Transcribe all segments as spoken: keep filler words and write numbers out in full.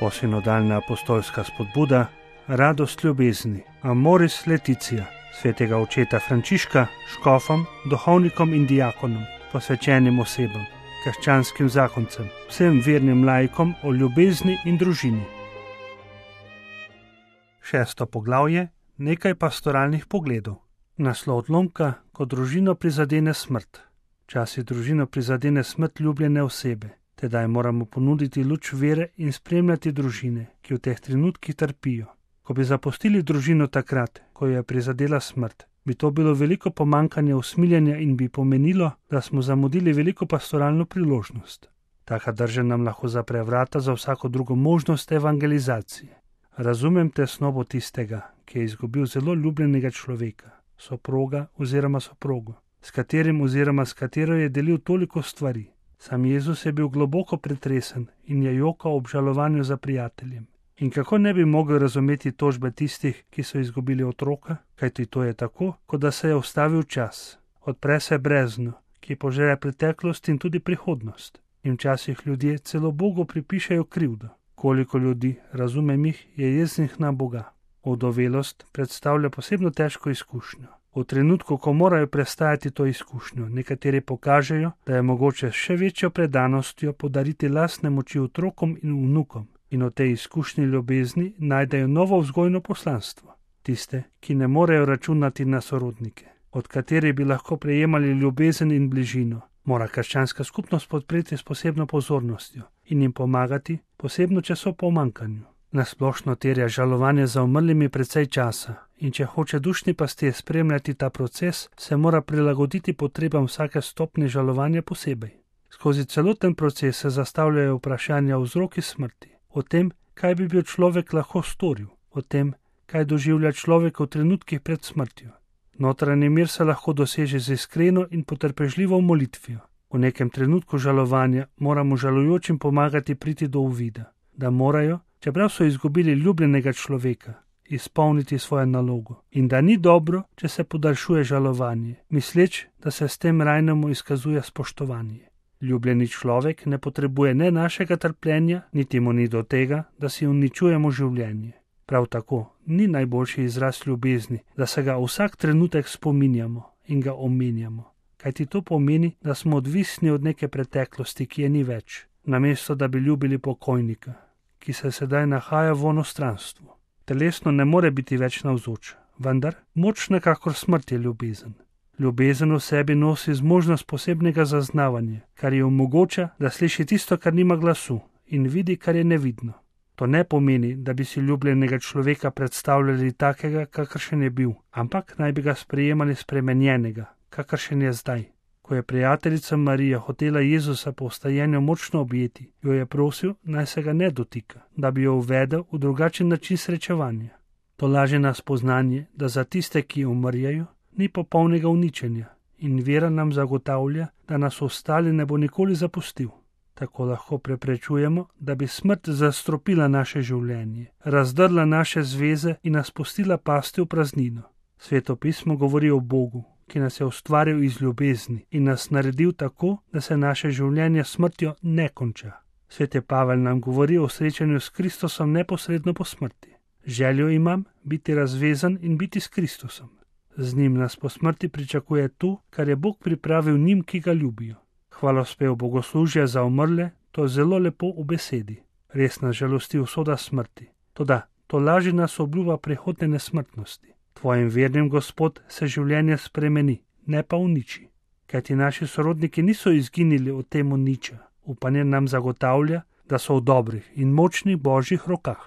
Novosinodalna apostolska spodbuda, radost ljubezni, Amoris Laetitia, svetega očeta Frančiška, škofom, duhovnikom in diakonom, posvečenim osebam, krščanskim zakoncem, vsem vernim laikom o ljubezni in družini. Šesto poglavje, nekaj pastoralnih pogledov. Naslov odlomka, ko družino prizadene smrt. Včasih družino prizadene smrt ljubljene osebe, tedaj moramo ponuditi luč vere in spremljati družine, ki v teh trenutkih trpijo. Ko bi zapustili družino takrat, ko jo je prizadela smrt, bi to bilo veliko pomanjkanje usmiljenja in bi pomenilo, da smo zamudili veliko pastoralno priložnost. Taka drža nam lahko zapre vrata za vsako drugo možnost evangelizacije. Razumem tesnobo tistega, ki je izgubil zelo ljubljenega človeka, soproga oziroma soprogo, s katerim oziroma s katero je delil toliko stvari. Sam Jezus je bil globoko pretresen in je jokal ob žalovanju za prijateljem. In kako ne bi mogel razumeti tožbe tistih, ki so izgubili otroka, kajti to je tako, kot da se je ustavil čas. Odpre se brezno, ki požre preteklost in tudi prihodnost. In včasih ljudje celo Bogu pripišejo krivdo. Koliko ljudi, razumem jih, je jeznih na Boga. Ovdovelost predstavlja posebno težko izkušnjo. V trenutku, ko morajo prestajati to izkušnjo, nekateri pokažejo, da je mogoče še večjo predanostjo podariti lastne moči otrokom in vnukom in v tej izkušnji ljubezni najdejo novo vzgojno poslanstvo. Tiste, ki ne morejo računati na sorodnike, od katerih bi lahko prejemali ljubezen in bližino, mora krščanska skupnost podpreti s posebno pozornostjo in jim pomagati, posebno če so v pomanjkanju. Nasplošno terja žalovanje za umrlimi precej časa in če hoče dušni pastir spremljati ta proces, se mora prilagoditi potrebam vsake stopnje žalovanja posebej. Skozi celoten proces se zastavljajo vprašanja o vzroki smrti, o tem, kaj bi bil človek lahko storil, o tem, kaj doživlja človek v trenutkih pred smrtjo. Notranji mir se lahko doseže z iskreno in potrpežljivo molitvijo. V nekem trenutku žalovanja moramo žalujočim pomagati priti do uvida, da morajo, čeprav so izgubili ljubljenega človeka, izpolniti svojo nalogo in da ni dobro, če se podaljšuje žalovanje, misleč, da se s tem rajnemu izkazuje spoštovanje. Ljubljeni človek ne potrebuje ne našega trpljenja, niti mu ni do tega, da si uničujemo življenje. Prav tako ni najboljši izraz ljubezni, da se ga vsak trenutek spominjamo in ga omenjamo, kajti to pomeni, da smo odvisni od neke preteklosti, ki je ni več, namesto da bi ljubili pokojnika, ki se sedaj nahaja v onostranstvu. Telesno ne more biti več navzoč, vendar močna kakor smrt je ljubezen. Ljubezen v sebi nosi zmožnost posebnega zaznavanja, kar ji omogoča, da sliši tisto, kar nima glasu, in vidi, kar je nevidno. To ne pomeni, da bi si ljubljenega človeka predstavljali takega, kakršen je bil, ampak naj bi ga sprejemali spremenjenega, kakršen je zdaj. Ko je prijateljica Marija hotela Jezusa po vstajenju močno objeti, jo je prosil, naj se ga ne dotika, da bi jo uvedel v drugačen način srečevanja. To laže nas spoznanje, da za tiste, ki umrjajo, ni popolnega uničenja in vera nam zagotavlja, da nas ostali ne bo nikoli zapustil. Tako lahko preprečujemo, da bi smrt zastropila naše življenje, razdrla naše zveze in nas pustila pasti v praznino. Sveto pismo govori o Bogu, ki nas je ustvaril iz ljubezni in nas naredil tako, da se naše življenje smrtjo ne konča. Sveti Pavel nam govori o srečanju s Kristusom neposredno po smrti. Željo imam biti razvezan in biti s Kristusom. Z njim nas po smrti pričakuje to, kar je Bog pripravil njim, ki ga ljubijo. Hvalospev bogoslužja za umrle, to je zelo lepo v besedi. Res nas žalosti usoda smrti. Toda to laži nas obljuba prihodne nesmrtnosti. Tvojim vernim Gospod se življenje spremeni, ne pa uniči. Kajti naši sorodniki niso izginili od temu niča. Upanje nam zagotavlja, da so v dobrih in močnih Božjih rokah.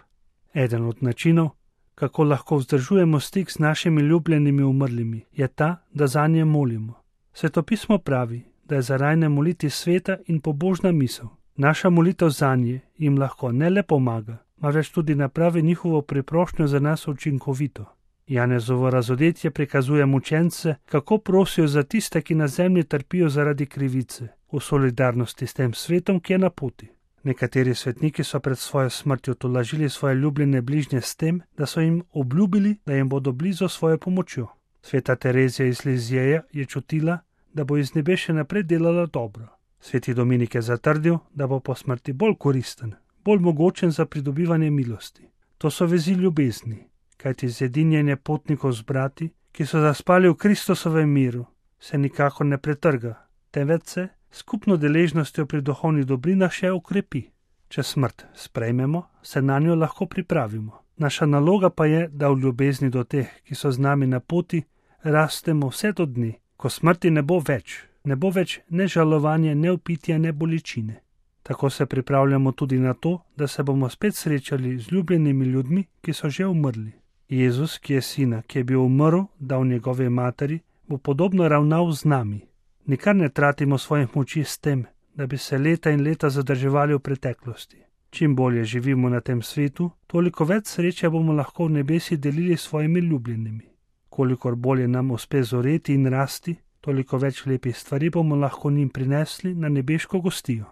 Eden od načinov, kako lahko vzdržujemo stik s našimi ljubljenimi umrlimi, je ta, da zanje molimo. Svetopismo pravi, da je za rajne moliti sveta in pobožna misel. Naša molitev zanje jim lahko ne le pomaga, marveč tudi napravi njihovo priprošnjo za nas učinkovito. Janezovo razodetje prikazuje mučence, kako prosijo za tiste, ki na zemlji trpijo zaradi krivice, v solidarnosti s tem svetom, ki je na poti. Nekateri svetniki so pred svojo smrtjo tolažili svoje ljubljene bližnje s tem, da so jim obljubili, da jim bodo blizu svojo pomočjo. Sveta Terezija iz Lizjeja je čutila, da bo iz nebe še naprej delala dobro. Sveti Dominik je zatrdil, da bo po smrti bolj koristen, bolj mogočen za pridobivanje milosti. To so vezi ljubezni, kajti zedinjenje potnikov z brati, ki so zaspali v Kristusovem miru, se nikakor ne pretrga, temveč se skupno deležnostjo pri duhovnih dobrinah še ukrepi. Če smrt sprejmemo, se na njo lahko pripravimo. Naša naloga pa je, da v ljubezni do teh, ki so z nami na poti, rastemo vse do dni, ko smrti ne bo več, ne bo več ne žalovanja, ne upitja, ne bolečine. Tako se pripravljamo tudi na to, da se bomo spet srečali z ljubljenimi ljudmi, ki so že umrli. Jezus, ki je sina, ki je bil umrl, dal njegove materi, bo podobno ravnal z nami. Nikar ne tratimo svojih moči s tem, da bi se leta in leta zadrževali v preteklosti. Čim bolje živimo na tem svetu, toliko več sreče bomo lahko v nebesi delili s svojimi ljubljenimi. Kolikor bolje nam uspe zoreti in rasti, toliko več lepih stvari bomo lahko njim prinesli na nebeško gostijo.